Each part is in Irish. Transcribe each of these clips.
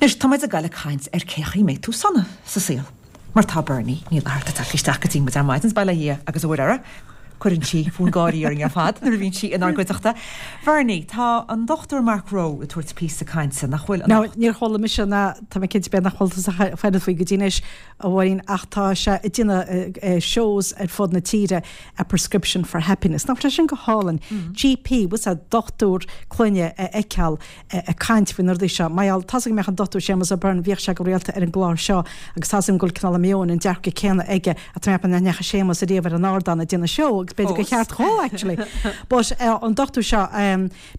Anois, tá muid ag goil ag caint ar cé chaoi mbeidh tú sona sa saol. Mar tá Bernie Ní Fhlatharta tagtha isteach go dtí muid ar maidin, bail ó Dhia agus a Mhuire uirthi. Cuireann sí fonn gáirí orainn ar fad nuair a bhíonn sí inár gcuideachta. Bernie, tá an Dr Mark Rowe ag tabhairt píosa cainte, nach bhfuil, Now, anocht? níor chuala mise ná tá mé cinnte b'fhéidir nach bhfuil tusa faighte faoi go dtí anois, a Mháirín, ach tá sé ag déanamh shows ar fud na tíre, A Prescription for Happiness. Nach bhfuil sé sin go hálainn? GP, bhfuil a fhios agat, dochtúir clainne a fheiceáil ag caint faoi na rudaí seo. Mar gheall, tá's agam go mbeadh an Dr Séamus O'Byrne, bhíodh sé go rialta ar an gclár seo agus tá's agam go bhfuil cineál an meon, an dearcadh céanna aige ach tá mé ag ceapadh nach ndeachaigh Séamus ariamh ar an ardán ag déanamh seó agus b'fhéidir gur cheart dhó actually. But an dochtúir seo,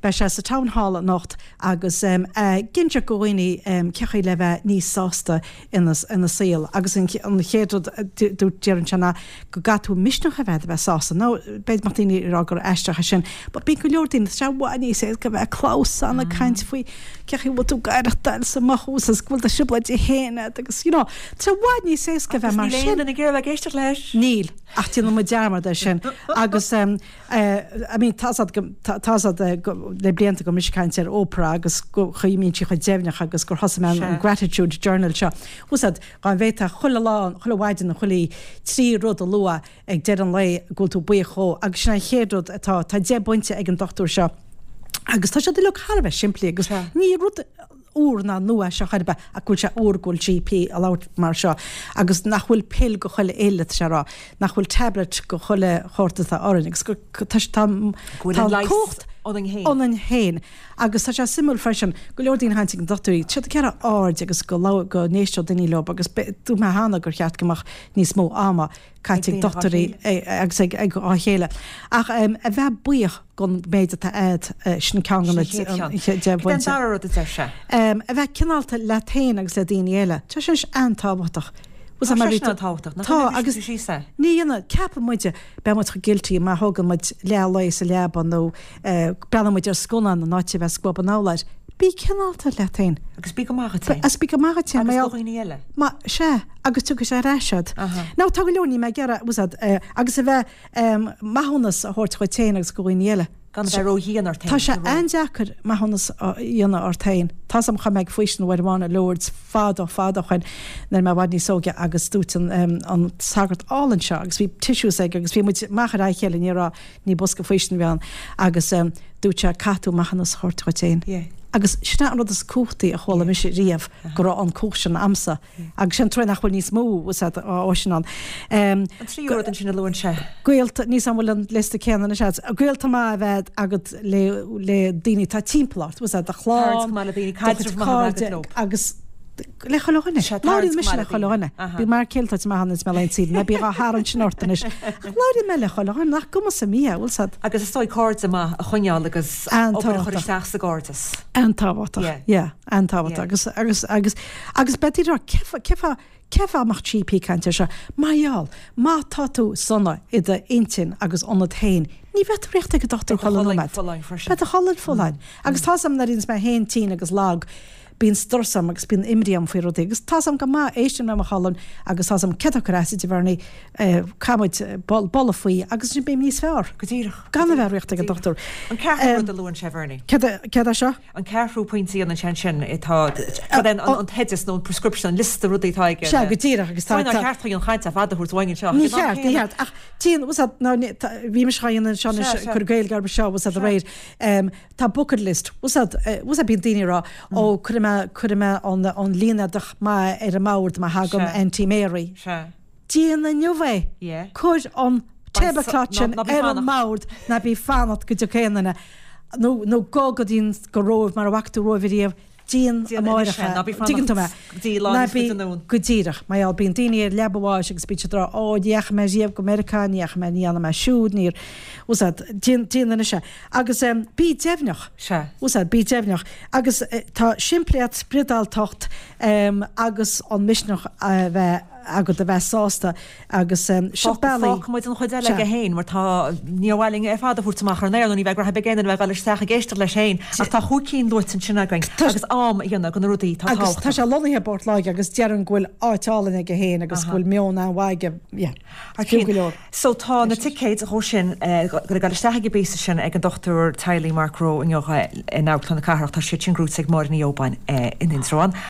beidh sé sa Town Hall anocht agus ag inseacht go dhaoine cé chaoi le bheith níos sásta ina saol agus an chéad rud a deireann sé ná go gcaithfidh tú misneach a bheith a bheith sásta. Now b'fhéidir go mbeadh daoine ag rá gur aisteach é sin but bíonn go leor daoine, tá sé i bhfad níos éasca a bheith ag clamhsán ag caint faoi cé chaoi a bhfuil tú ag aireachtáil sa mothú agus go bhfuil do thrioblóidí féin agat agus you know tá sé i bhfad níos éasca a bheith mar sin. Agus níl aon duine ag iarraidh a bheith ag éisteacht leis. Níl, ach déanann muid dearmad air sin agus I mean, tá's agat go, tá's agat go, le blianta go mbím ag caint ar Oprah agus go chaoi a mbíonn sí chomh deimhneach agus gur thosaigh mé an gratitude journal seo. Bhfuil 's agat, dá bhféadfá chuile lá, chuile mhaidin nó chuile oíche, 3 rud a lua ag deireadh an lae go bhfuil tú buíoch dhó agus sin an chéad rud atá, tá 10 bpointe ag an dochtúir seo agus tá siad uilig thar a bheith simplí agus ní rud úr ná nua é seo chor ar bith ach go bhfuil sé úr go bhfuil GP ag labhairt mar seo agus nach bhfuil pill go chuile fhuil atá sé a rá, nach bhfuil tablet go chuile shórt atá orainn agus go tá tá Go bhfuil an leigheas cumhacht ionainn féin. ionainn féin agus tá sé suimiúil freisin go leor daoine a thagann chuig na dochtúirí, tá siad ag iarraidh aird agus go labh go n-éisteodh daoine leo agus dúirt mé cheana gur cheart go mbeadh níos mó ama caite ag dochtúirí agus ag a chéile. Ach a bheith buíoch gon méid atá a'd, sin ceann de na deich bpointe. Cad é an dara rud a deir sé? A bheith cineálta leat féin agus le daoine eile. Tá sé sin an-tábhachtach. Tá sé sin an-tábhachtach. Nach Tá, agus ní dhéanann, ceapann muide, beidh muid chomh guilty má thógann muid leath lae sa leaba nó breathnaíonn muid ar scannán in áit a bheith ag scuabadh an urláir. Bí cineálta leat féin. Agus bí go maith dhuit féin. Agus bí go maith dhuit féin. Agus do dhaoine eile. Ma, sea. Agus tiocfaidh sé ar ais a'd. Now tá go leor, níl mé ag iarraidh, bhfuil 's a'd, agus a bheith, maithiúnas a thabhairt dhuit féin agus do dhaoine eile. Gan a bheith ró-dhian ort féin. Tá sé an-deacair maithiúnas a dhéanamh ort féin. Tá's a'm chuaigh mé ag faoistin uair amháin i Lourdes fadó fadó ó shoin nuair a bhí mé i bhfad níos óige agus dúirt an, an sagart álainn seo agus bhí tissues aige agus bhí muid amach ar aghaidh a chéile ní raibh, Ní bosca faoistine a bhí ann agus dúirt sé caithfidh tú maithiúnas a thabhairt dhuit féin. Agus sin é an rud is cumhachtaí a chuala mise riamh go raibh an cumhacht sin a'msa agus sin an truaighe nach bhfuil níos mó sin ann. An tríú rud ansin a luann sé. Gaolta, níl 's a'm an bhfuil an liosta céanna anois a'd, gaolta maith a bheith agat le le daoine atá timpeall ort, bhfuil 's a'd, do chlann, do chuid cairde agus Le chuile dhuine. Labhraíonn mise le chuile dhuine. Bíonn m'fhear céile ag tabhairt amach ann is mé le saoire, ná bí dhá tharraingt sin ort anois. Ach labhraíonn mé le chuile dhuine, nach cuma sa mí é, bhfuil 's a'd. Agus is dóigh cairde maith a choinneáil agus obair a chur isteach sa gcairdeas. An-tábhachtach. Yeah, an-tábhachtach. Agus, agus, agus, agus b'fhéidir a rá, cé fáth, cé fáth, cé fáth a mbeadh GP ag caint air seo? Mar gheall, má tá tú sona i d'intinn agus ionat féin, ní bheidh tú ag rith ag an dochtúir chuile nóiméad. Beidh do cholainn folláin. Agus tá's a'm nuair a bhíonns mé féin tinn agus lag, Bíonn strus orm agus bíonn imní orm faoi rudaí agus tá's a'm go maith, éisteann le mo cholainn agus tá's a'm céard atá ag cur as di, a Bhernie, caithfidh muid bualadh faoi agus ansin beidh níos fearr. Go díreach. Gan a bheith ag rith ag an dochtúir. An ceathrú rud a luann sé, Bhernie. Céard é seo? An ceathrú pointe a dhéanann sé ansin, atá, cad é an t-oideas nó an prescription, an liosta rudaí atá aige. Sea, go díreach agus tá. Nár cheart an chaint ar fad a thabhairt uainn anseo. Ní cheart, ní cheart. Ach tchíonn, bhfuil 's a'd, ná, bhí mise dhá dhéanamh anseo anois, cur Gaeilge orthu seo, bhfuil 's a'd aréir. Tá bucket list, bhfuil 's a'd, bhfuil 's a'd bíonn daoine ag rá ó cuirfidh mé, cuirfidh mé an, an línéadach maith ar an mbord má thagann Auntie Mary. Sea. Déan inniu é! Yeah. Cuir an tablecloth sin ar an mbord, ná bí ag fanacht go dtiocfaidh aon duine, nó, nó gabh go dtí an, go Róimh mara bhfaca tú Róimh ariamh, Déan amárach é. Ná bí fanacht go dtí lá níos faide anonn. Go díreach. Mar gheall, bíonn daoine ar leaba bháis agus bíonn siad ag rá, Ó, ní dheachaigh mé riamh go Meiriceá, ní dheachaigh mé, ní dhearna mé siúd, níor. Bhfuil 's a'd, déan, déan anois é. Agus bí deimhneach. Sea. Bhfuil 's a'd, bí deimhneach. Agus tá simplíocht, spioradáltacht agus an misneach a bheith agat a bheith sásta agus sin bealaí. Fágfaidh muid an chuid eile aige féin mar tá, níor mhaith linn é ar fad a thabhairt amach ar an aer nó ní bheidh graithe beag aon duine a bheith ag dul isteach ag éisteacht leis féin ach tá chúig cinn luaite ansin againn agus am a dhéanamh do na rudaí atá tábhachtach. Agus tá sé lonnaithe i bPort Láirge agus deireann go bhfuil áit álainn aige féin agus go bhfuil meon an-mhaith aige, yeah, fiú go leor. So tá na ticéid dhó sin ag dul isteach ag an bpíosa sin ag an Dr Teaghlaigh Mark Rowe inniu in Amharclann na Cathrach, tá siad sin gnóite ag Máire Ní Óbáin in Indreabhán.